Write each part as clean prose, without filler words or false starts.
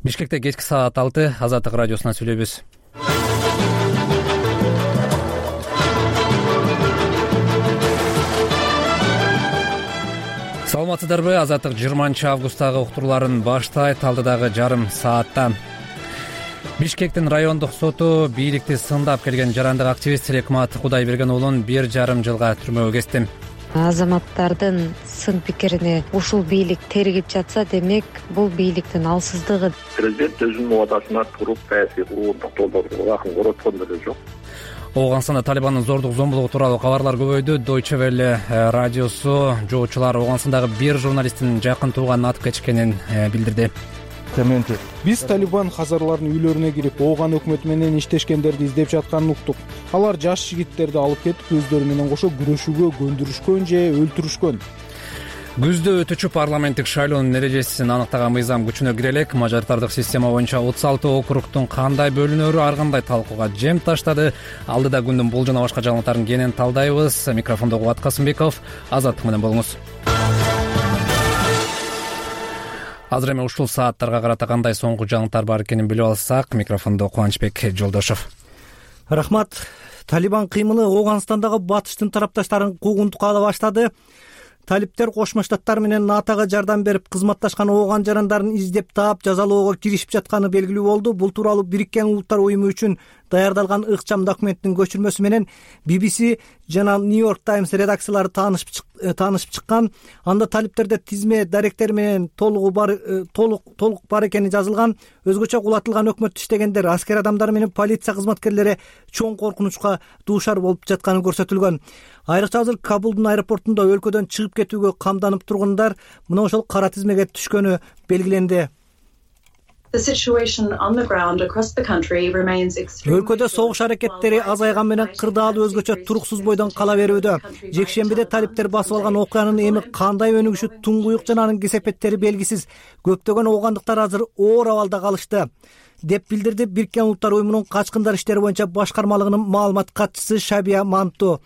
Бишкекте кечки саат 6 Азаттык радиосунан сүйлөйбүз. Саламатсыздарбы? Азаттык 20 августтагы уктурууларын баштайт. Алдыдагы жарым саатта Бишкектин райондук соту бийликти сындап келген жарандык активист Лекмат Кудайберген уулун 1,5 жылга түрмөгө кести. Азаматтардын сын пикирине ушул бийлик тергип жатса, демек бул бийликтин алсыздыгы. Президент өзүнүн убадасына туруп саясий курулуштук жолдорду акын короткон деле жок. Ооганстанда Талибандын зордук зомбулугу тууралуу кабарлар көбөйдү. Deutsche Welle радиосу жоочулар Ооганстандагы бир журналисттин жакын тууганын атып кетишкенин билдирди. Биз Талибан хазарлардын үйлөрүнө кирип, Ооган өкмөтү менен иштешкендерди издеп жатканын уктук. Алар жаш жигиттерди алып кетип, өздөрү менен кошо күрөшүүгө көндүрүшкөн же өлтүрүшкөн. Күздө өтүүчү парламенттик шайлоонун эрежесин аныктаган мыйзам күчүнө кире элек. Мажоритардык система боюнча 36 округтун кандай бөлүнөрү ар кандай талкууга жем таштады. Алдыда күндүн бул жана башка жаңылыктарын кенен талдайбыз. Микрофондо Кубат Касымбеков. Азаттык менен болуңуз. Азыр эми ушул сааттарга карата кандай соңку жаңылыктар бар экенин билип алсак, микрофондо Кубанычбек Жолдошов. Рахмат. Талибан кыймылы Ооганстандагы батыштын тарапташтарын куугунтукка ала баштады. Талиптер Кошмо Штаттар менен НАТОго жардам берип, кызматташкан ооган жарандарын издеп таап, жазалоого киришип жатканы белгилүү болду. Бул тууралуу Бириккен Улуттар уюму үчүн даярдалган ыкчам документтин көчүрмөсү менен BBC жана New York Times редакциялары таанышып чыккан. Анда талиптерде тизме даректер менен толук бар экени жазылган. Өзгөчө кулатылган өкмөттө иштегендер, аскер адамдары менен полиция кызматкерлери чоң коркунучка дуушар болуп жатканы көрсөтүлгөн. Айрыкча азыр Кабулдун аэропортунда өлкөдөн чыгып кетүүгө камданып тургандар мына ошол кара тизмеге түшкөнү белгиленди. Өлкөдө согуш аракеттери азайган менен кырдаалуу өзгөчө туруксуз бойдон кала берүүдө. Жекшембиде талиптер басып алган окуянын эми кандай өнүгүшү туңгуюк жана анын кесепеттери белгисиз. Көптөгөн оогандыктар азыр оор абалда калышты, деп билдирди Бириккен Улуттар уюмунун качкындар иштери боюнча башкармалыгынын маалымат катчысы Шабия Манту.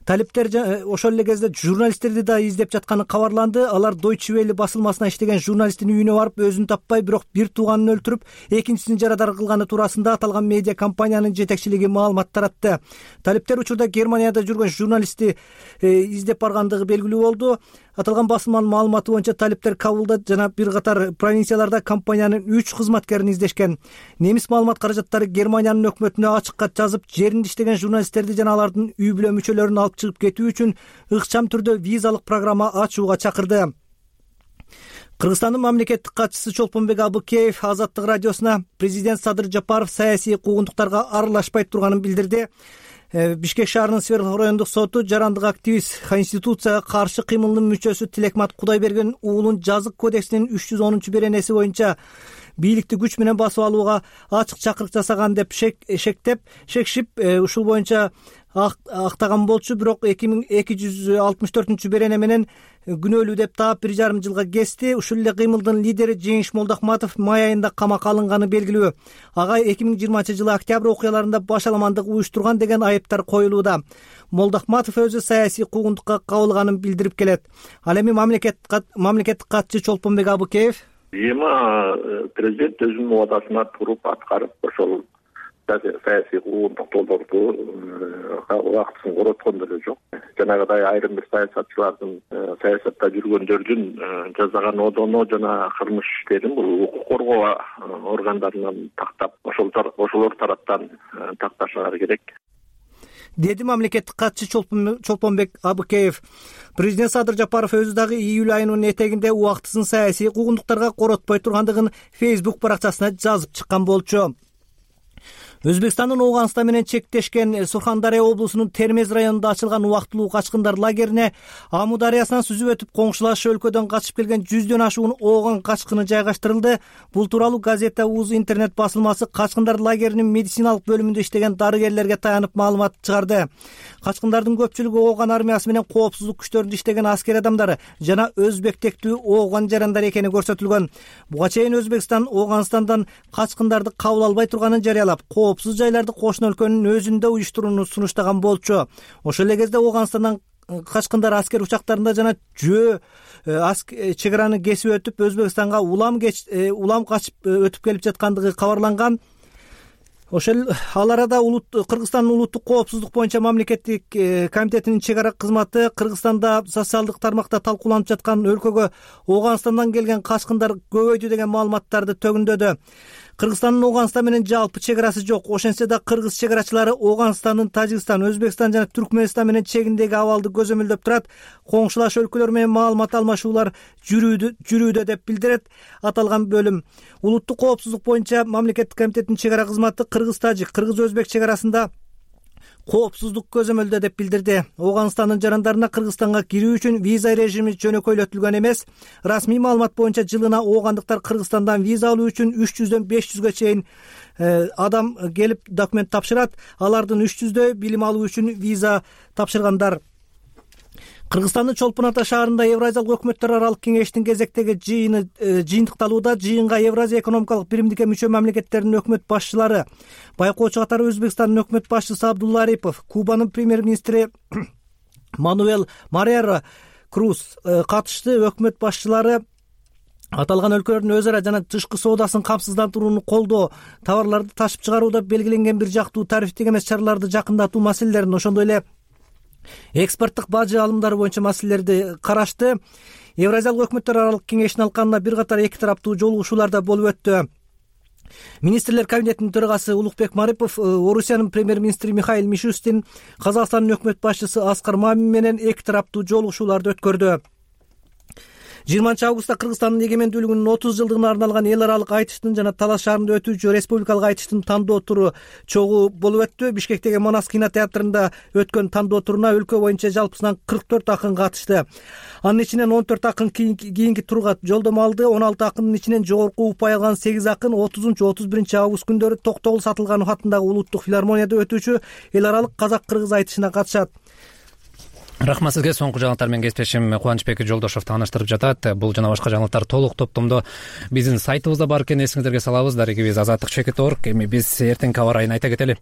Талиптер ошол эле кезде журналисттерди да издеп жатканы кабарланды. Алар Deutsche Welle басылмасына иштеген журналисттин үйүнө барып, өзүн таппай, бирок бир тууганын өлтүрүп, экинчисин жарадар кылганы туурасында аталган медиа компаниянын жетекчилиги маалымат таратты. Талиптер учурда Германияда жүргөн журналистти издеп баргандыгы белгилүү болду. Аталган басылманын маалыматы боюнча талиптер Кабулда жана бир катар провинцияларда компаниянын 3 кызматкерин издешкен. Немис маалымат каражаттары Германиянын өкмөтүнө ачык кат жазып, жеринде иштеген журналисттерди жана алардын үй бүлө мүчөлөрүн алып чыгып кетүү үчүн ыкчам түрдө визалык программа ачууга чакырды. Кыргызстандын мамлекеттик катчысы Чолпонбек Абыкеев Азаттык радиосуна президент Садыр Жапаров саясий куугунтуктарга аралашпай турганын билдирди. Бишкек шаарынын Свердлов райондук соту жарандык активист Конституцияга каршы кыймылдын мүчөсү Лекмат Кудайберген уулун жазык кодексинин 310 беренеси боюнча бийликти күч менен басып алууга ачык чакырык жасаган деп шекшип, ушул боюнча актаган болчу. Бирок 2264 берене менен күнөөлүү деп таап 1,5 жылга кести. Ушул эле кыймылдын лидери Жеңиш Молдохматов май айында камакка алынганы белгилүү. Ага 2020 жылы октябрь окуяларында башаламандык уюштурган деген айыптар коюлууда. Молдохматов өзү саясий куугунтукка кабылганын билдирип келет. Ал эми мамлекеттик катчы Чолпонбек Абыкеев президент өзүнүн убадасына туруп аткарып, ошол саясий куугунтук жолдорду убактысын короткон деле жок. Жанагыдай айрым бир саясатчылардын, саясатта жүргөндөрдүн жасаган одоно жана кылмыш иштерин бул укук коргоо органдарынан тактап, ошолор тараптан такташалары керек, деди мамлекеттик катчы Чолпонбек Абыкеев. Президент Садыр Жапаров өзү дагы июль айынын этегинде убактысын саясий куугунтуктарга коротпой тургандыгын Facebook баракчасына жазып чыккан болчу. Өзбекстандын Ооганстан менен чектешкен Сурхандария облусунун Термез районунда ачылган убактылуу качкындар лагерине Аму дарыясынан сүзүп өтүп коңшулаш өлкөдөн качып келген 100дөн ашуун ооган качкыны жайгаштырылды. Бул тууралуу газета УЗ интернет басылмасы качкындар лагеринин медициналык бөлүмүндө иштеген дарыгерлерге таянып маалымат чыгарды. Качкындардын көпчүлүгү ооган армиясы менен коопсуздук күчтөрүндө иштеген аскер адамдары жана өзбек тектүү ооган жарандар экени көрсөтүлгөн. Буга чейин Өзбекстан Ооганстандан качкындарды кабыл албай турганын жарыялап, коопсуз жайларды кошуна өлкөнүн өзүндө уюштурууну сунуштаган болчу. Ошол эле кезде Ооганстандан качкындар аскер учактарында жана жөө чек араны кесип өтүп Өзбекстанга улам качып өтүп келип жаткандыгы кабарланган. Ошол ал арада Кыргызстандын улуттук коопсуздук боюнча мамлекеттик комитетинин чек ара кызматы Кыргызстанда социалдык тармакта талкууланып жаткан өлкөгө Ооганстандан келген качкындар көбөйдү деген маалыматтарды төгүндөдү. Кыргызстандын Ооганстан менен жалпы чек арасы жок. Ошентсе да кыргыз чек арачылары Ооганстандын Тажикстан, Өзбекстан жана Түркмөнстан менен чегиндеги абалды көзөмөлдөп турат. Коңшулаш өлкөлөр менен маалымат алмашуулар жүрүүдө деп билдирет аталган бөлүм. Улуттук коопсуздук боюнча мамлекеттик комитеттин чек ара кызматы кыргыз-тажик, кыргыз-өзбек чек арасында коопсуздук көзөмөлдө деп билдирди. Ооганстандын жарандарына Кыргызстанга кирүү үчүн виза режими жөнөкөйлөтүлгөн эмес. Расмий маалымат боюнча жылына оогандыктар Кыргызстандан виза алуу үчүн 300дөн 500гө чейин адам келип документ тапшырат. Алардын 300дөй билим алуу үчүн виза тапшыргандар. Кыргызстандын Чолпон Ата шаарында Евразиялык өкмөттөр аралык кеңештин кезектеги жыйыны жыйынтыкталууда. Жыйынга Евразия экономикалык биримдикке мүчө мамлекеттердин өкмөт башчылары, байкоочу катары Өзбекстандын өкмөт башчысы Абдулла Арипов, Кубанын премьер-министри Мануэл Маррера Круз катышты. Өкмөт башчылары аталган өлкөлөрдүн өз ара жана тышкы соодасын камсыздандырууну колдоо, товарларды ташып чыгарууда белгиленген бир жактуу тарифтик эмес чараларды жакындатуу маселелерин, ошондой эле экспорттук бажы алымдары боюнча маселелерди карашты. Евразиялык өкмөттөр аралык кеңештин алканында бир катар эки тараптуу жолугушуулар да болуп өттү. Министрлер кабинетинин төрагасы Улукбек Марипов Орусиянын премьер-министри Михаил Мишустин, Казакстандын өкмөт башчысы Аскар Мамин менен эки тараптуу жолугушууларды өткөрдү. 20 августта Кыргызстандын эгемендүүлүгүнүн 30 жылдыгына арналган эл аралык айтыштын жана Талас шаарында өтүүчү республикалык айтыштын тандоо туру чогуу болуп өттү. Бишкектеги Манас кинотеатрында өткөн тандоо туруна өлкө боюнча жалпысынан 44 акын катышты. Анын ичинен 14 акын кийинки турга жолдомо алды. 16 акындын ичинен жогорку упай алган 8 акын 30-31 август күндөрү Токтогул Сатылганов атындагы улуттук филармонияда өтүүчү эл аралык казак-кыргыз айтышына катышат. Рахмат сизге. Соңку жаңылыктар менен кесиптешим Кубанычбек Жолдошов тааныштырып жатат. Бул жана башка жаңылыктар толук топтомдо биздин сайтыбызда бар экенин эсиңиздерге салабыз. Дарегибиз azadlyk.org. Эми биз эртеңки аба ырайын айта кетели.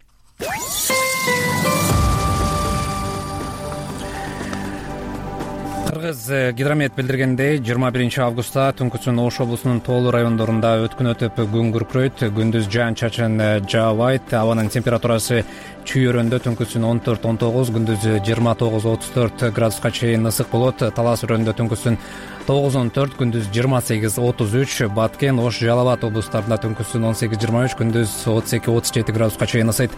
Кыргыз гидромет билдиргендей 21 августта түнкүсүн Ош облусунун тоолуу райондорунда өткүн өтүп күн күркүрөйт, күндүз жаан-чачын жаабайт. Абанын температурасы чүйөрөндө түнкүсүн 14-19, күндүз 29-34 градуска чейин ысык болот. Талас өрөндө түнкүсүн 9-14, күндүз 28-33, Баткен, Ош, Жалал Абад облустарында түнкүсүн 18-23, күндүз 32-37 градуска чейин ысыйт.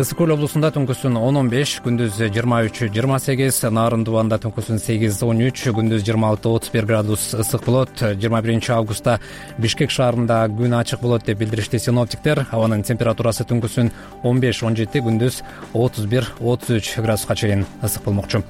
Ысык көл облусунда түнкүсүн 10-15, күндүз 23-28, Нарын Дубанда түнкүсүн 8-13, күндүз 26-31 градус ысык болот. 21 августта Бишкек шаарында күн ачык болот деп билдиришти синоптиктер. Абанын температурасы түнкүсүн 15-17, күндүз 31-33 градуска чейин ысык болмокчу.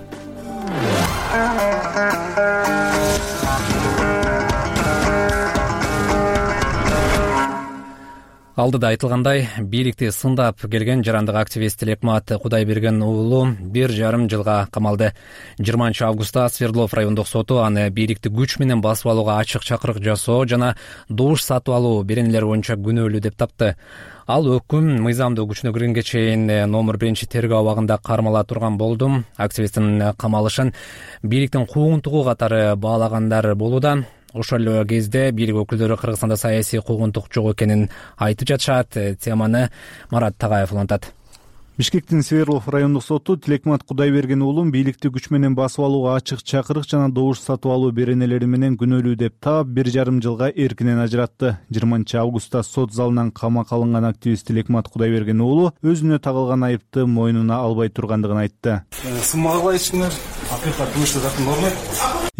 Алдыда айтылгандай, бийликти сындап келген жарандык активист Тилекмат Кудайберген уулу 1,5 жылга камалды. 20 августта Свердлов райондук соту аны бийликти күч менен басып алууга ачык чакырык жасоо жана добуш сатып алуу беренелери боюнча күнөөлүү деп тапты. Ал өкүм мыйзамдуу күчүнө киргенге чейин номер 1 тергөө абагында кармала турган болду. Активисттин камалышын бийликтин куугунтугу катары баалагандар болууда. Ошол кезде бийлик өкүлдөрү Кыргызстанда саясий куугунтук жок экенин айтып жатышат. Теманы Марат Тагаев улантат. Бишкектин Свердлов райондук соту Тилекмат Кудайберген уулун бийликти күч менен басып алууга ачык чакырык жана добуш сатып алуу беренелери менен күнөөлүү деп таап 1,5 жылга эркинен ажыратты. 20 августта сот залынан камакка алынган активист Тилекмат Кудайберген уулу өзүнө тагылган айыпты мойнуна албай тургандыгын айтты. Сынмага айтышыңар, акыйкат кылышты закон болмойт.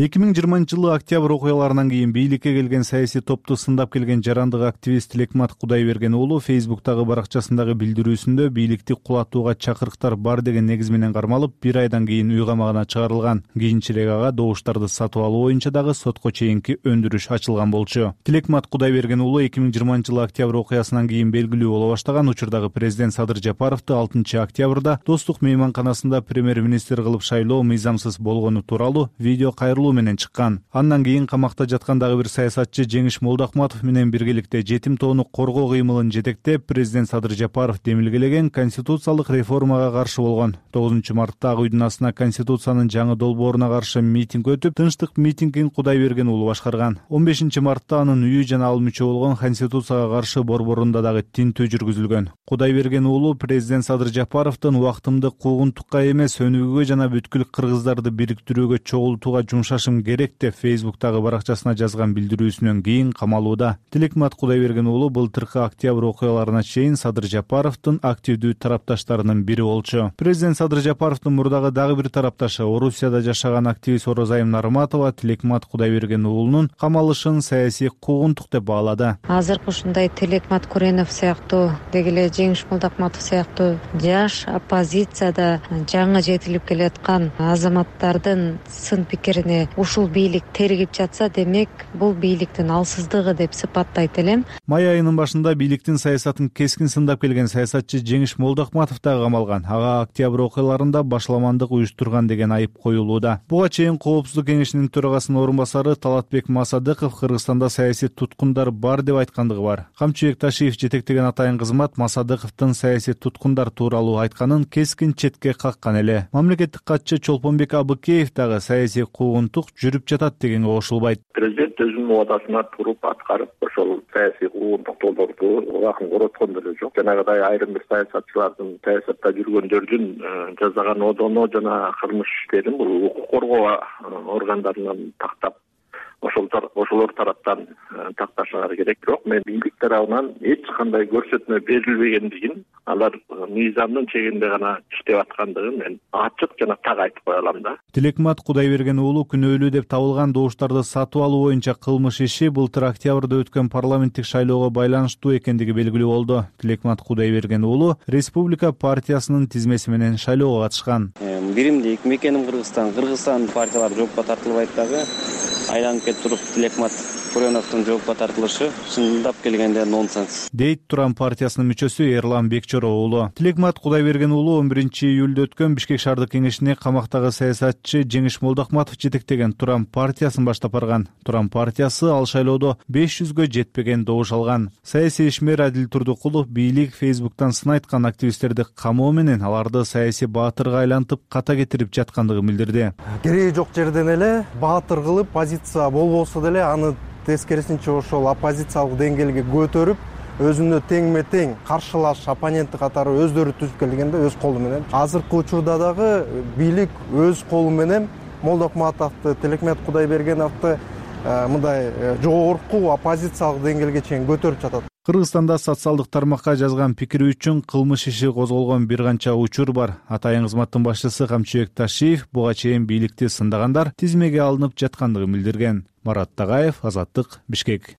2020 жылы октябрь окуяларынан кийин бийликке келген саясий топту сындап келген жарандык активист Тилекмат Кудайберген уулу Facebook'тагы баракчасындагы билдирүүсүндө бийликти кулатууга чакырыктар бар деген негиз менен кармалып, 1 айдан кийин үй камагына чыгарылган. Кийинчерээк ага добуштарды сатып алуу боюнча дагы сотко чейинки өндүрүш ачылган болчу. Тилекмат Кудайберген уулу 2020 жылы октябрь окуясынан кийин белгилүү боло баштаган. Учурдагы президент Садыр Жапаровду 6 октябрда Достук мейманканасында премьер-министр кылып шайлоо мыйзам камсыз болгону тууралуу видео кайрылуу менен чыккан. Андан кийин камакта жаткан дагы бир саясатчы Жеңиш Молдокматов менен биргеликте жетим тоону коргоо кыймылын жетектеп, президент Садыр Жапаров демилгелеген конституциялык реформага каршы болгон. 9 мартта Ак үйдүн астына конституциянын жаңы долбооруна каршы митинг өтүп, тынчтык митингин Кудайберген уулу башкарган. 15 мартта анын үйү жана ал мүчө болгон конституцияга каршы борборунда дагы тинтүү жүргүзүлгөн. Кудайберген уулу президент Садыр Жапаровдун убактымды куугунтукка эмес, өнүгүүгө жана бүткүл кыргыздарды бириктирүүгө чогултууга жумшашым керек деп Facebook'тагы баракчасына жазган билдирүүсүнөн кийин камалууда. Тилекмат Кудайберген уулу былтыркы октябрь окуяларына чейин Садыр Жапаровдун активдүү тарапташтарынын бири болчу. Президент Садыр Жапаровдун мурдагы дагы бир тарапташы, Орусияда жашаган активист Орозайым Нарматова Тилекмат Кудайберген уулунун камалышын саясий куугунтук деп баалады. Азыркы ушундай Тилекмат Куренов сыяктуу, деги эле Жеңиш Молдокматов сыяктуу жаш оппозицияда жаңы жетилип келаткан азаматтардын сын пикирине ушул бийлик тергип жатса, демек бул бийликтин алсыздыгы деп сыпаттайт элем. Май айынын башында бийликтин саясатын кескин сындап келген саясатчы Жеңиш Молдокматов дагы камалган. Ага октябрь окуяларында башламандык уюштурган деген айып коюлууда. Буга чейин Коопсуздук кеңешинин төрагасынын орун басары Талатбек Масадыков Кыргызстанда саясий туткундар бар деп айткандыгы бар. Камчыбек Ташиев жетектеген атайын кызмат Масадыковдун саясий туткундар тууралуу айтканын кескин четке каккан эле. Мамлекеттик катчы Чолпонбек Абыкеев дагы саясий куугунтук жүрүп жатат дегенге кошулбайт. Президент өзүнүн убадасына туруп аткарып, ошол саясий куугунтуктууларды убагын короткон деле жок. Жанагыдай айрым бир саясатчылардын, саясатта жүргөндөрдүн жасаган одоно жана кылмыш иштерин бул укук коргоо органдарынан тактап, ошолор тараптан такташалары керек. Бирок мен бийлик тарабынан эч кандай көрсөтмө берилбегендигин, алар мыйзамдын чегинде гана иштеп аткандыгын мен ачык жана так айтып кое алам да. Тилекмат Кудайберген уулу күнөөлүү деп табылган добуштарды сатып алуу боюнча кылмыш иши былтыр октябрда өткөн парламенттик шайлоого байланыштуу экендиги белгилүү болду. Тилекмат Кудайберген уулу Республика партиясынын тизмеси менен шайлоого катышкан. Биримдик мекеним Кыргызстан партиялары жоопко тартылбайт дагы. Айланып кетип туруп Тилекмат Куреновдун жоопко тартылышы чындап келгенде нонсенс, дейт Турам партиясынын мүчөсү Эрлан Бекчоро уулу. Тилекмат Кудайберген уулу 11-июлда өткөн Бишкек шаардык кеңешине камактагы саясатчы Жеңиш Молдокматов жетектеген Турам партиясын баштап барган. Турам партиясы ал шайлоодо 500гө жетпеген добуш алган. Саясий ишмер Адил Турдукулов бийлик Facebook'тан сын айткан активисттерди камоо менен аларды саясий баатырга айлантып ката кетирип жаткандыгын билдирди. Кереги жок жерден эле баатыр кылып позиция болбосо деле аны тескерисинче ошол оппозициялык деңгээлге көтөрүп, өзүнө теңме тең каршылаш оппоненти катары өздөрү түзүп келгенде өз колу менен. Азыркы учурда дагы бийлик өз колу менен Молдокматовду, Тилекмат Кудайбергеновду мындай жогорку оппозициялык деңгээлге чейин көтөрүп жатат. Кыргызстанда социалдык тармакка жазган пикири үчүн кылмыш иши козголгон бир канча учур бар. Атайын кызматтын башчысы Камчыбек Ташиев буга чейин бийликти сындагандар тизмеге алынып жаткандыгын билдирген. Марат Тагаев, Азаттык, Бишкек.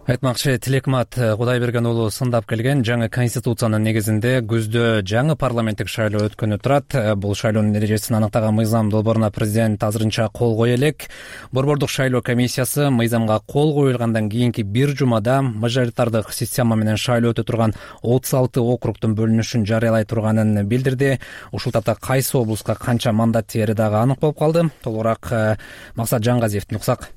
Айтмакчы, Тилекмат Кудайберген уулу сындап келген жаңы конституциянын негизинде күздө жаңы парламенттик шайлоо өткөнү турат. Бул шайлоонун эрежесин аныктаган мыйзам долбооруна президент азырынча кол кое элек. Борбордук шайлоо комиссиясы мыйзамга кол коюлгандан кийинки бир жумада мажоритардык система менен шайлоо өтө турган 36 округдун бөлүнүшүн жарыялай турганын билдирди. Ушул тапта кайсы облуска канча мандат тиери дагы анык болуп калды. Толугураак Максат Жаңгазиевдин уксак.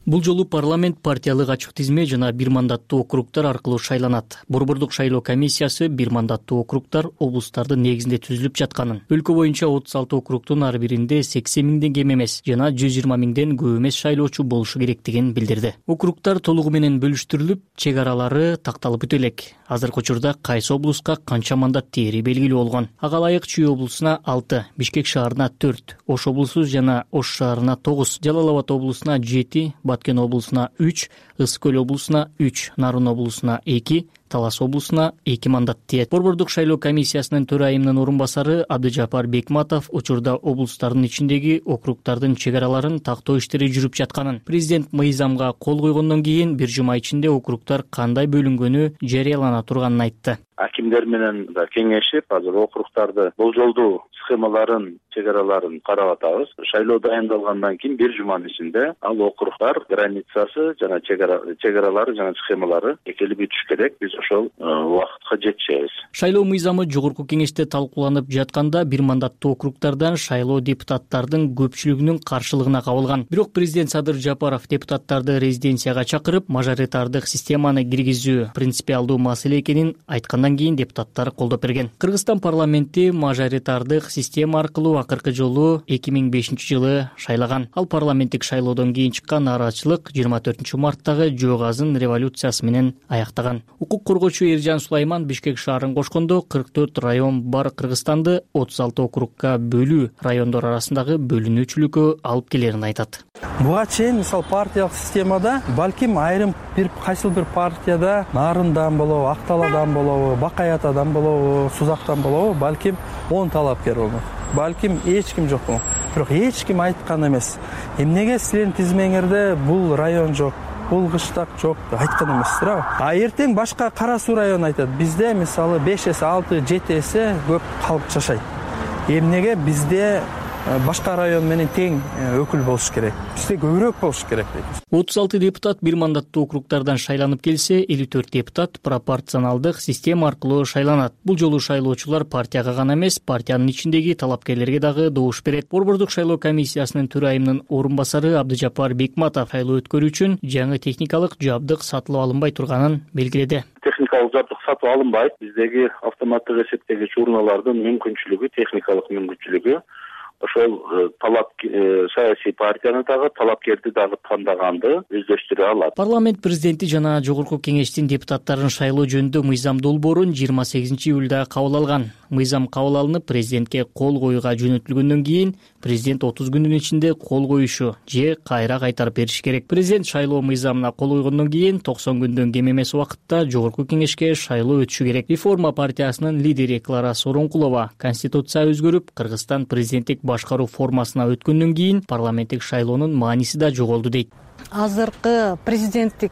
Бул жолу парламент партиялык ачык тизме жана бир мандаттуу округдар аркылуу шайланат. Борбордук шайлоо комиссиясы бир мандаттуу округдар облустардын негизинде түзүлүп жатканын, өлкө боюнча 36 округдун ар биринде 80 миңден кем эмес жана 120 миңден көп эмес шайлоочу болушу керектигин билдирди. Округдар толугу менен бөлүштүрүлүп, чек аралары такталып өтө элек. Азыркы учурда кайсы облуска канча мандат тиери белгилүү болгон. Ага ылайык Чүй облусуна 6, Бишкек шаарына 4, Ош облусу жана Ош шаарына 9, Жалал Абад облусуна 7, Баткен облусуна 3, Ысык Көл облусуна 3, Нарын облусуна 2, Талас облусуна 2 мандат тиет. Борбордук шайлоо комиссиясынын төрайымынын орун басары Абдыжапар Бекматов учурда облустардын ичиндеги округдардын чек араларын тактоо иштери жүрүп жатканын, президент мыйзамга кол койгондон кийин бир жума ичинде округдар кандай бөлүнгөнү жарыялана турганын айтты. Акимдер менен да кеңешип, азыр округдарды болжолдуу схемаларын чек араларын карап атабыз. Шайлоо дайындалгандан кийин 1 жуманын ичинде ал округдар границасы жана чек аралары жана схемалары экелип бүтүш керек. Биз ошол убакытка жетишебиз. Шайлоо мыйзамы жогорку кеңеште талкууланып жатканда бир мандаттуу округдардан шайлоо депутаттардын көпчүлүгүнүн каршылыгына кабылган. Бирок президент Садыр Жапаров депутаттарды резиденцияга чакырып, мажоритардык системаны киргизүү принципиалдуу маселе экенин айткандан кийин депутаттар колдоп берген. Кыргызстан парламенти мажоритардык система аркылуу акыркы жолу 2005-жылы шайлаган. Ал парламенттик шайлоодон кийин чыккан нааразычылык 24-марттагы жөө газын революциясы менен аяктаган. Укук коргоочу Эржан Сулайман Бишкек шаарын кошкондо 44 район бар Кыргызстанды 36 округга бөлүү райондор арасындагы бөлүнүүчүлүккө алып келерин айтат. Буга чейин мисалы партиялык системада балким айрым кайсыл бир партияда Нарындан болобу, Акталадан болобу, Бакай Атадан болобу, Сузактан болобу, балким 10 талапкер болмок. Балким эч ким жок болмок. Бирок эч ким айткан эмес. Эмнеге силердин тизмеңерде бул район жок, бул кыштак жок деп айткан эмессиздер. А эртең башка Кара Суу району айтат. Бизде мисалы 5 эсе, 6, 7 эсе көп калк жашайт. Эмнеге бизде башка район менен тең өкүл болуш керек. Бизде көбүрөөк болуш керек дейбиз. 36 депутат бир мандаттуу округдардан шайланып келсе, 54 депутат пропорционалдык система аркылуу шайланат. Бул жолу шайлоочулар партияга гана эмес, партиянын ичиндеги талапкерлерге дагы добуш берет. Борбордук шайлоо комиссиясынын төрайымынын орун басары Абдыжапар Бекматов шайлоо өткөрүү үчүн жаңы техникалык жабдык сатылып алынбай турганын белгиледи. Техникалык жабдык сатып алынбайт. Биздеги автоматтык эсептегич урналардын мүмкүнчүлүгү, техникалык мүмкүнчүлүгү ошол саясий партияны дагы, талапкерди дагы тандаганды өздөштүрө алат. Парламент президенти жана жогорку кеңештин депутаттарын шайлоо жөнүндө мыйзам долбоорун 28-июлда кабыл алган. Мыйзам кабыл алынып, президентке кол коюуга жөнөтүлгөндөн кийин президент 30 күндүн ичинде кол коюшу же кайра кайтарып бериш керек. Президент шайлоо мыйзамына кол койгондон кийин 90 күндөн кем эмес убакытта жогорку кеңешке шайлоо өтүшү керек. Реформа партиясынын лидери Клара Сооронкулова конституция өзгөрүп, Кыргызстан президенттик башкаруу формасына өткөндөн кийин парламенттик шайлоонун мааниси да жоголду дейт. Азыркы президенттик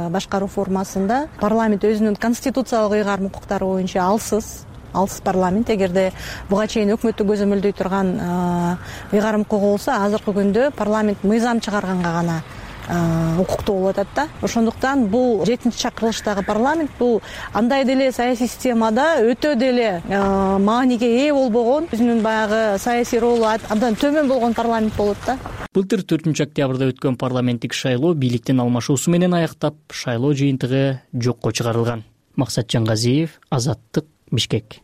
башкаруу формасында парламент өзүнүн конституциялык ыйгарым укуктары боюнча алсыз парламент. Эгерде буга чейин өкмөттү көзөмөлдөй турган ыйгарым укугу болсо, азыркы күндө парламент мыйзам чыгарганга гана укуктуу болуп атат да. Ошондуктан бул 7-чакырылыштагы парламент бул андай деле саясий системада өтө деле мааниге ээ болбогон, өзүнүн баягы саясий ролу абдан төмөн болгон парламент болот да. Былтыр 4-октябрда өткөн парламенттик шайлоо бийликтин алмашуусу менен аяктап, шайлоо жыйынтыгы жокко чыгарылган. Максат Жаңгазиев, Азаттык, Бишкек.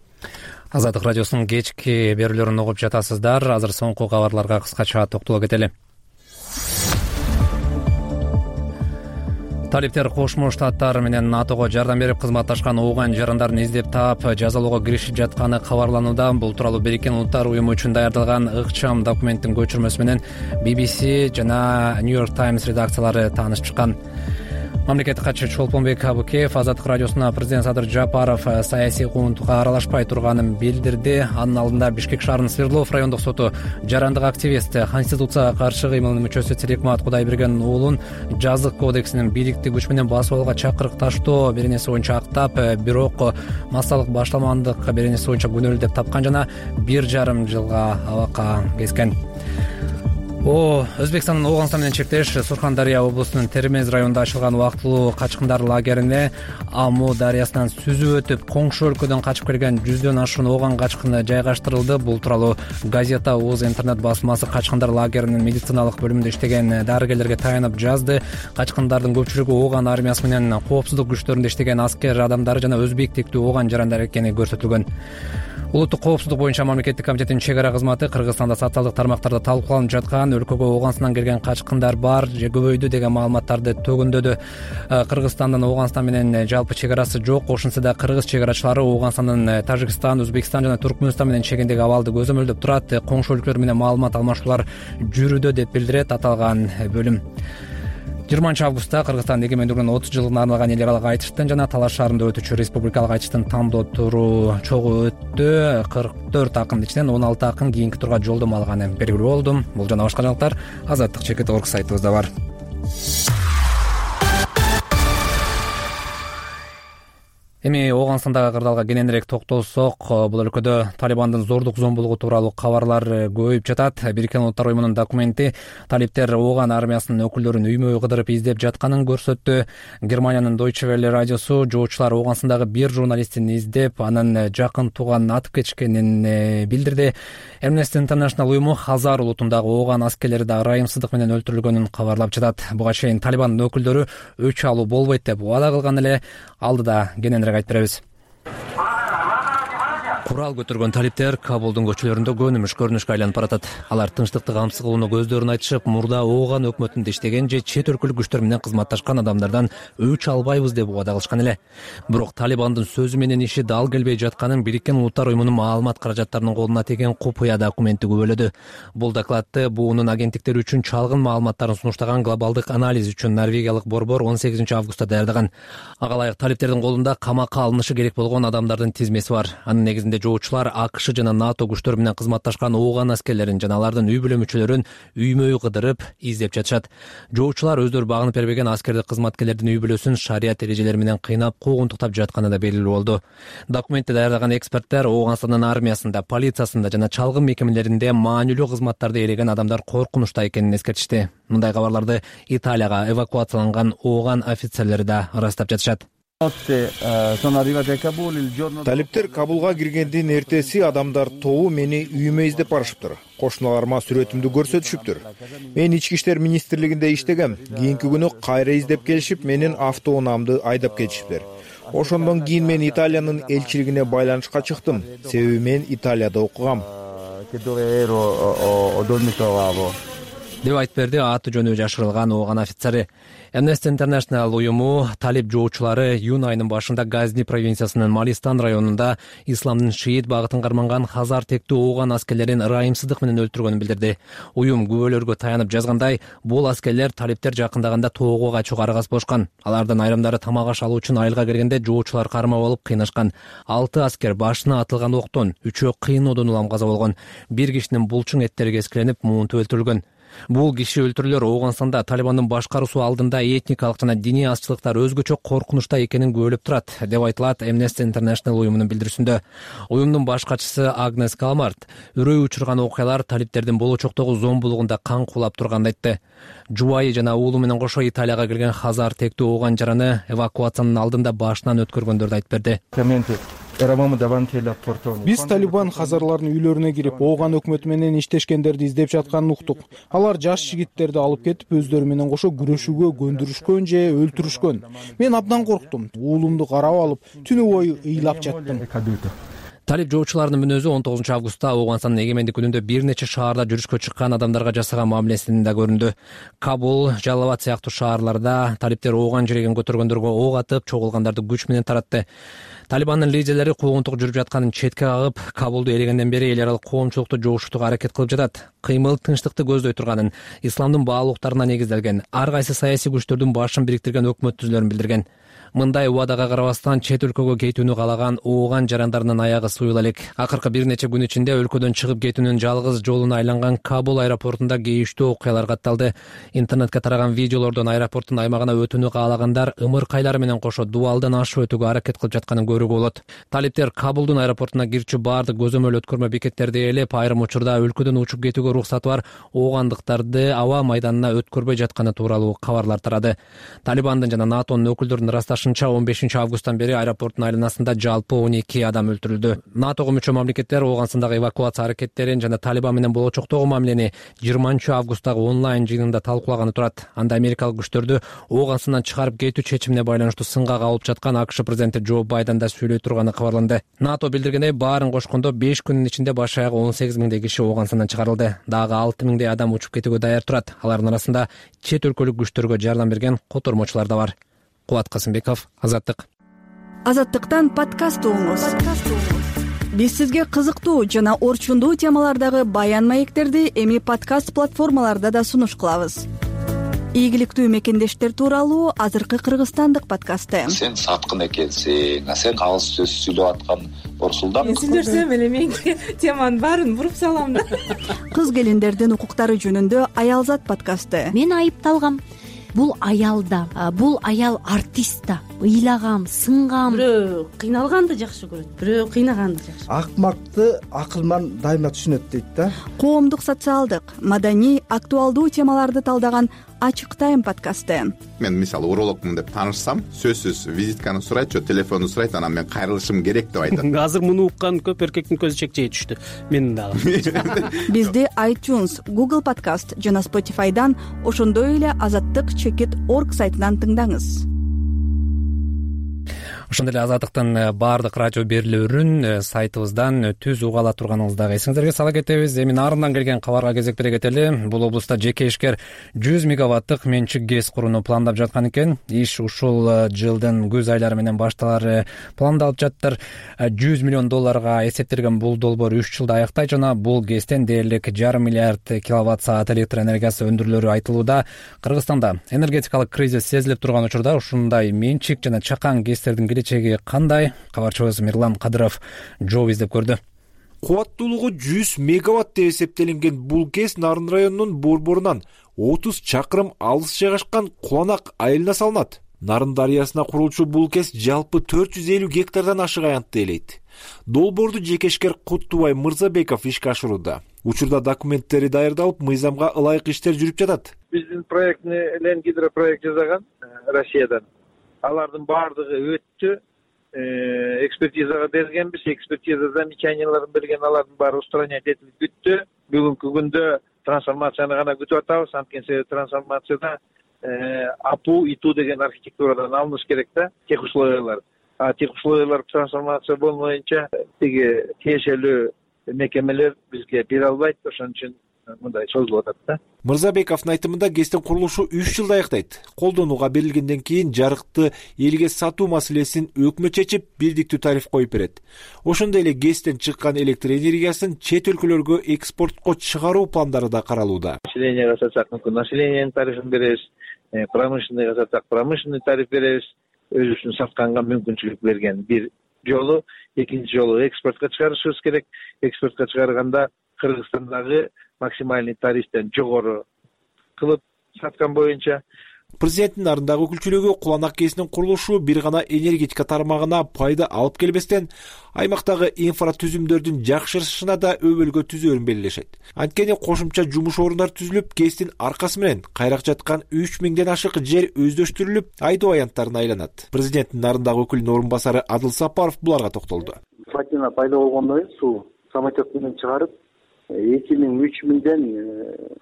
Азаттык радиосунун кечки берүүлөрүн угуп жатасыздар. Азыр соңку кабарларга кыскача токтоло кетели. Талиптер Кошмо Штаттар менен НАТОго жардам берип кызматташкан ооган жарандарын издеп таап жазалоого киришип жатканы кабарланууда. Бул тууралуу Бириккен Улуттар уюму үчүн даярдалган ыкчам документтин көчүрмөсү менен BBC жана New York Times редакциялары таанышып чыккан. Мамлекеттик катчы Чолпонбек Абыкеев Азаттык радиосуна президент Садыр Жапаров саясий куугунтукка аралашпай турганын билдирди. Анын алдында Бишкек шаарынын Свердлов райондук соту жарандык активист, конституцияга каршы кыймылынын мүчөсү Тилекмат Кудайбергендин уулун жазык кодексинин бийликти күч менен басып алууга чакырыкташтоо беренеси боюнча актап, бирок массалык башталмандык беренеси боюнча күнөөлүү деп тапкан жана 1,5 жылга абакка кескен. Өзбекстандын Ооганстан менен чектеш Сурхандария облусунун Термез районунда ачылган убактылуу качкындар лагерине Аму дарыясынан сүзүп өтүп, коңшу өлкөдөн качып келген 100дөн ашуун ооган качкыны жайгаштырылды. Бул тууралуу газета УЗ интернет басмасы качкындар лагеринин медициналык бөлүмүндө иштеген дарыгерлерге таянып жазды. Качкындардын көпчүлүгү ооган армиясы менен коопсуздук күчтөрүндө иштеген аскер адамдары жана өзбек тиктүү ооган жарандар экени көрсөтүлгөн. Улуттук коопсуздук боюнча мамлекеттик комитеттин чек ара кызматы Кыргызстанда социалдык тармактарда талкууланып жаткан өлкөгө Ооганстандан келген качкындар бар же көбөйдү деген маалыматтарды төгүндөдү. Кыргызстандын Ооганстан менен жалпы чек арасы жок. Ошентсе да кыргыз чек арачылары Ооганстандын Тажикстан, Өзбекстан жана Туркмөнстан менен чегиндеги абалды көзөмөлдөп турат. Коңшу өлкөлөр менен маалымат алмашуулар жүрүүдө деп билдирет аталган бөлүм. 20-августта Кыргызстандын эгемендүүлүгүнүн 30 жылына арналган эл аралык айтыштын жана Талаш шаарында өтүүчү республикалык айтыштын тандоо туру чогуу өттү. 44 акындын ичинен 16 акын кийинки турга жолдомо алганы белгилүү болду. Бул жана башка жаңылыктар Азаттык.org сайтыбызда бар. Эми Ооганстандагы кырдаалга кененирээк токтолсок, бул өлкөдө Талибандын зордук зомбулугу тууралуу кабарлар көбөйүп жатат. Бириккен Улуттар уюмунун документи талиптер Ооган армиясынын өкүлдөрүн үймө-үй кыдырып издеп жатканын көрсөттү. Германиянын Deutsche Welle радиосу жоочулар Ооганстандагы бир журналистин издеп, анын жакын тууганын атып кетишкенин билдирди. Amnesty International уюму Хазар улутундагы Ооган аскерлери да ырайымсыздык менен өлтүрүлгөнүн кабарлап жатат. Буга чейин Талибандын өкүлдөрү өч алуу болбойт деп убада кылган эле, алдыда кененирээк айтып беребиз. Курал көтөргөн талиптер Кабулдун көчөлөрүндө көнүмүш көрүнүшкө айланып баратат. Алар тынчтыкты камсыз кылууну көздөрүн айтышып, мурда Ооган өкмөтүндө иштеген же чет өлкөлүк күчтөр менен кызматташкан адамдардан өч албайбыз деп убада кылышкан эле. Бирок Талибандын сөзү менен иши дал келбей жатканын Бириккен Улуттар уюмунун маалымат каражаттарынын колуна тиген купуя документи күбөлөдү. Бул докладты буунун агенттиктери үчүн чалгын маалыматтарын сунуштаган глобалдык анализ үчүн норвегиялык борбор 18 августта даярдаган. Ага ылайык талиптердин колунда камакка алынышы керек болгон адамдардын тизмеси бар. Анын негизинде жоочулар АКШ жана НАТО күчтөрү менен кызматташкан Ооган аскерлерин жана алардын үй бүлө мүчөлөрүн үймө-үй кыдырып издеп жатышат. Жоочулар өздөрү багынып бербеген аскердик кызматкерлердин үй бүлөсүн шарият эрежелери менен кыйнап, куугунтуктап жатканы да белгилүү болду. Документти даярдаган эксперттер Ооганстандын армиясында, полициясында жана чалгын мекемелеринде маанилүү кызматтарды ээлеген адамдар коркунучта экенин эскертишти. Мындай кабарларды Италияга эвакуацияланган Ооган офицерлери да ырастап жатышат. Талиптер Кабулга киргендин эртеси адамдар тобу мени үйүмө издеп барышыптыр. Кошуналарыма сүрөтүмдү көрсөтүшүптүр. Мен ички иштер министрлигинде иштегем. Кийинки күнү кайра издеп келишип, менин автоунаамды айдап кетишиптир. Ошондон кийин мен Италиянын элчилигине байланышка чыктым. Себеби мен Италияда окугам. деп айтып берди аты жөнү жашырылган Ооган офицери. Amnesty International уюму талип жоочулары июнь айынын башында Газни провинциясынын Малистан районунда исламдын шиит багытын карманган Хазар тектүү Ооган аскерлерин ырайымсыздык менен өлтүргөнүн билдирди. Уюм күбөлөргө таянып жазгандай, бул аскерлер талиптер жакындаганда тоого качууга аргасыз болушкан. Алардын айрымдары тамак аш алуу үчүн айылга киргенде жоочулар кармап алып кыйнашкан. 6 аскер башына атылган октон, 3-өө кыйноодон улам каза болгон. Бир кишинин булчуң эттери кескиленип, муунтуп өлтүрүлгөн. Бул киши өлтүрүүлөр Оогандстанда Талибандын башкаруусу алдында этникалык жана диний азчылыктар өзгөчө коркунучта экенин күбөлөп турат, деп айтылат Amnesty International уюмунун билдирүүсүндө. Уюмдун баш катчысы Агнес Калмарт үрөй учурган окуялар талиптердин болочоктогу зомбулугунда кан куулап турганын айтты. Жубайы жана уулу менен кошо Италияга келген Хазар тектүү Ооган жараны эвакуациянын алдында башынан өткөргөндөрдү айтып берди. Биз Талибан хазарлардын үйлөрүнө кирип, Ооган өкмөтү менен иштешкендерди издеп жатканын уктук. Алар жаш жигиттерди алып кетип, өздөрү менен кошо күрөшүүгө көндүрүшкөн же өлтүрүшкөн. Мен абдан корктум. Уулумду карап алып, түнү бою ыйлап жаттым. Талип жоочуларынын мүнөзү 19 августта Ооганстандын эгемендик күнүндө бир нече шаарда жүрүшкө чыккан адамдарга жасаган мамилесинин да көрүндү. Кабул, Жалалабад сыяктуу шаарларда талиптер Ооган жиреген көтөргөндөргө ок атып, чогулгандарды күч менен таратты. Талибандын лидерлери куугунтук жүрүп жатканын четке кагып, Кабулду ээлегенден бери эл аралык коомчулукту жогушутууга аракет кылып жатат. Кыймыл тынчтыкты көздөй турганын, исламдын баалуулуктарына негизделген, ар кайсы саясий күчтөрдүн башын бириктирген өкмөт түзүлөрүн билдирген. Мындай убадага карабастан чет өлкөгө кетүүнү каалаган Ооган жарандарынын аягы суюла элек. Акыркы бир нече күн ичинде өлкөдөн чыгып кетүүнүн жалгыз жолуна айланган Кабул аэропортунда кейиштүү окуялар катталды. Интернетке тараган видеолордон аэропорттун аймагына өтүүнү каалагандар ымыркайлары менен кошо дубалдан ашып өтүүгө аракет кылып жатканын көрүүгө болот. Талиптер Кабулдун аэропортуна кирчү баардык көзөмөл өткөрмө бекеттерди ээлеп, айрым учурда өлкөдөн учуп кетүүгө уруксаты бар оогандыктарды аба майданына өткөрбөй жатканы тууралуу кабарлар тарады. Талибандын жана НАТОнун өкүлдөрүнүн ырасташынча 15 августтан бери аэропорттун айланасында жалпы 12 адам өлтүрүлдү. НАТОго мүчө мамлекеттер Ооганстандагы эвакуация аракеттерин жана Талибан менен болочоктогу мамилени 20 августтагы онлайн жыйынында талкуулаганы турат. Анда америкалык күчтөрдү Ооганстандан чыгарып кетүү чечимине байланыштуу сынга кабылып жаткан АКШ президенти Джо Байден да сүйлөй турганы кабарланды. НАТО билдиргендей, баарын кошкондо 5 күнүн ичинде баш аягы 18 миңдей киши Ооганстандан чыгарылды. Дагы 6 миңдей адам учуп кетүүгө даяр турат. Алардын арасында чет өлкөлүк күчтөргө жардам берген котормочулар да бар. Кубат Касымбеков, Азаттык. Азаттыктан подкаст угуңуз. Биз сизге кызыктуу жана орчундуу темалардагы баян маектерди эми подкаст платформаларда да сунуш кылабыз. Ийгиликтүү мекендештер тууралуу азыркы кыргызстандык подкасты. Сен саткын экенсиң, сен калыс сөз сүйлөп аткан Орсулдан. Мен сүйлөсөм эле менин теманын баарын буруп салам да. Кыз келиндердин укуктары жөнүндө Аялзат подкасты. Мен айыпталгам. Бул аял да, бул аял артист да. ыйлаган сынган. Бирөө кыйналганды жакшы көрөт, бирөө кыйнаганды жакшы. Акмакты акылман дайыма түшүнөт дейт да. Коомдук, социалдык, маданий, актуалдуу темаларды талдаган Ачык тайм подкасты. Мен мисалы урологмун деп таанышсам, сөзсүз визитканы сурайт, же телефонду сурайт, анан мен кайрылышым керек деп айтат. Азыр муну уккан көп эркектин көзү чекчейе түштү. Менин дагы. Бизди iTunes, Google Podcast жана Spotify'дан, ошондой эле azattyk.org сайтынан тыңдаңыз. Ошондой эле Азаттыктын баардык радио берүүлөрүн сайтыбыздан түз уга ала турганыңыздагы эсиңиздерге сала кетебиз. Эми нарындан келген кабарга кезек бере кетели. Бул облуста жеке ишкер 100 мегаваттык менчик ГЭС курууну пландап жаткан экен. Иш ушул жылдын күз айлары менен башталары пландалып жатыр. $100 миллион эсептелген бул долбоор 3 жылда аяктай жана бул ГЭСтен дээрлик 1,5 миллиард киловатт саат электр энергиясы өндүрүлөрү айтылууда. Кыргызстанда энергетикалык кризис сезилип турган учурда ушундай менчик жана чакан ГЭСтердин келечеги кандай? Кабарчыбыз Мирлан Кадыров жол издеп көрдү. Кубаттуулугу 100 мегаватт деп эсептелинген бул ГЭС Нарын районунун борборунан 30 чакырым алыс жайгашкан Куланак айылына салынат. Нарын дарыясына курулчу бул ГЭС жалпы 450 гектардан ашык аянтты ээлейт. Долбоорду жекешкер Куттубай Мырзабеков ишке ашырууда. Учурда документтери даярдалып, мыйзамга ылайык иштер жүрүп жатат. Биздин проектни Лен гидропроект жасаган Россиядан. Алардын баардыгы өттү. Экспертизага бергенбиз. Экспертиза замечанияларын берген, алардын баары устранять этилип бүттү. Бүгүнкү күндө трансформацияны гана күтүп атабыз. Анткени себеби трансформацияда АПУ, ИТУ деген архитектурадан алыныш керек да, тех условиялар. Тех условиялар трансформация болмоюнча тиги тиешелүү мекемелер бизге бере албайт. Ошон үчүн мындай созулуп атат да. Мырзабековдун айтымында ГЭСтин курулушу 3 жылда аяктайт. Колдонууга берилгенден кийин жарыкты элге сатуу маселесин өкмөт чечип, бирдиктүү тариф коюп берет. Ошондой эле ГЭСтен чыккан электр энергиясын чет өлкөлөргө экспортко чыгаруу пландары да каралууда. Населенияга сатсак мүмкүн населениянын тарифин беребиз, промышленныйга сатсак промышленный тариф беребиз. Өзүбүздүн сатканга мүмкүнчүлүк берген бир жолу, экинчи жолу экспортко чыгарышыбыз керек. Экспортко чыгарганда Кыргызстандагы максимальный тарифтен жогору кылып саткан боюнча. Президенттин Нарындагы өкүлчүлүгү Куланак ГЭСинин курулушу бир гана энергетика тармагына пайда алып келбестен, аймактагы инфратүзүмдөрдүн жакшырышына да өбөлгө түзөөрүн белгилешет. Анткени кошумча жумуш орундар түзүлүп, ГЭСтин аркасы менен кайрак жаткан 3000ден ашык жер өздөштүрүлүп, айдоо аянттарына айланат. Президенттин Нарындагы өкүлүнүн орун басары Адыл Сапаров буларга токтолду. Плотина пайда болгондон кийин суу самолет менен чыгарып 2000-3000ден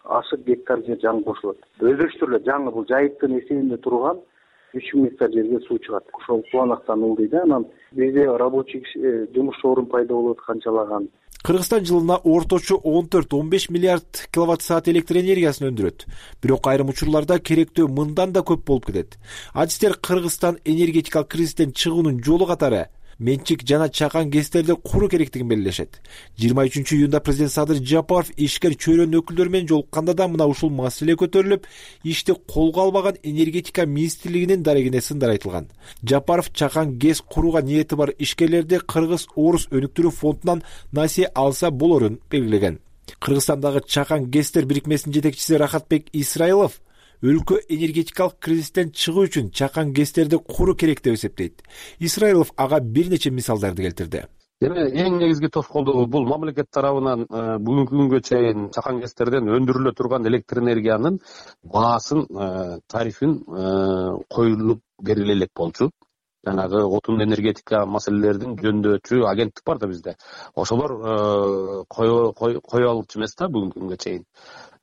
ашык гектар жер жаңы кошулат. Өздөштүрүлөт. Жаңы бул жайыктын эсебинде турган 3000 гектар жерге суу чыгат. Ошол Куланактан ылдый да. Анан бизде рабочий жумуш орун пайда болот канчалаган. Кыргызстан жылына орточо 14-15 миллиард киловатт саат электр энергиясын өндүрөт. Бирок айрым учурларда керектөө мындан да көп болуп кетет. Адистер Кыргызстан энергетикалык кризистен чыгуунун жолу катары менчик жана чакан ГЭСтерди куруу керектигин белгилешет. 23-июнда президент Садыр Жапаров ишкер чөйрөнүн өкүлдөрү менен жолукканда да мына ушул маселе көтөрүлүп, ишти колго албаган энергетика министрлигинин дарегине сындар айтылган. Жапаров чакан ГЭС курууга ниети бар ишкерлерди Кыргыз-Орус өнүктүрүү фондунан насие алса болорун белгилеген. Кыргызстандагы чакан ГЭСтер бирикмесинин жетекчиси Рахатбек Исраилов өлкө энергетикалык кризистен чыгуу үчүн чакан ГЭСтерди куруу керек деп эсептейт. Исраилов ага бир нече мисалдарды келтирди. Эми эң негизги тоскоолдугу бул мамлекет тарабынан бүгүнкү күнгө чейин чакан ГЭСтерден өндүрүлө турган электр энергиянын баасын, тарифин коюлуп бериле элек болчу. Жанагы отун энергетика маселелерин жөндөчү агенттик бар да бизде. Ошолор кое алчу эмес да бүгүнкү күнгө чейин.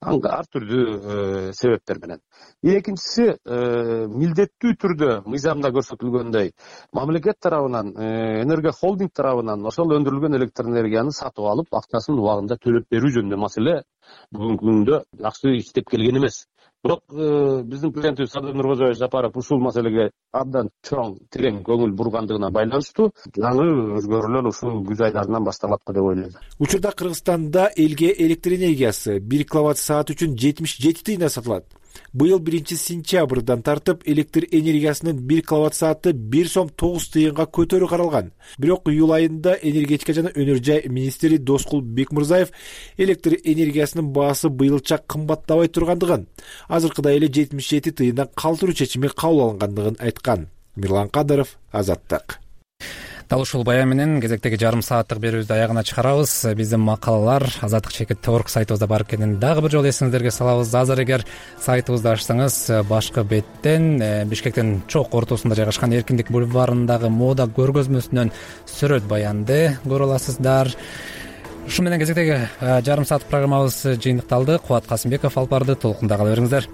Ар түрдүү себептер менен. Экинчиси, милдеттүү түрдө мыйзамда көрсөтүлгөндөй мамлекет тарабынан, энергия холдинг тарабынан ошол өндүрүлгөн электр энергияны сатып алып, акчасын убагында төлөп берүү жөнүндө маселе бүгүнкү күндө жакшы иштеп келген эмес. Бирок биздин президентибиз Садыр Нуркожоевич Жапаров ушул маселеге абдан чоң, терең көңүл бургандыгына байланыштуу жаңы өзгөрүүлөр ушул күз айларынан башталат деп ойлойм. Учурда Кыргызстанда элге электр энергиясы 1 киловатт саат үчүн 77 тыйындан сатылат. Быйыл 1-сентябрдан тартып электр энергиясынын 1 киловатт сааты 1 сом 9 тыйынга көтөрүү каралган. Бирок июль айында энергетика жана өнөр жай министри Доскул Бекмырзаев электр энергиясынын баасы быйылча кымбаттабай тургандыгын, азыркыдай эле 77 тыйындан калтыруу чечими кабыл алынгандыгын айткан. Мирлан Кадыров, Азаттык. Дал ушул баян менен кезектеги жарым сааттык берүүбүздү аягына чыгарабыз. Биздин макалалар Азаттык чекит орг сайтыбызда бар экенин дагы бир жолу эсиңиздерге салабыз. Азыр эгер сайтыбызды ачсаңыз, башкы беттен Бишкектин чок ортосунда жайгашкан Эркиндик бульварындагы мода көргөзмөсүнөн сүрөт баянды көрө аласыздар. Ушу менен кезектеги жарым саат программабыз жыйынтыкталды. Кубат Касымбеков алып барды. Толкунда кала бериңиздер.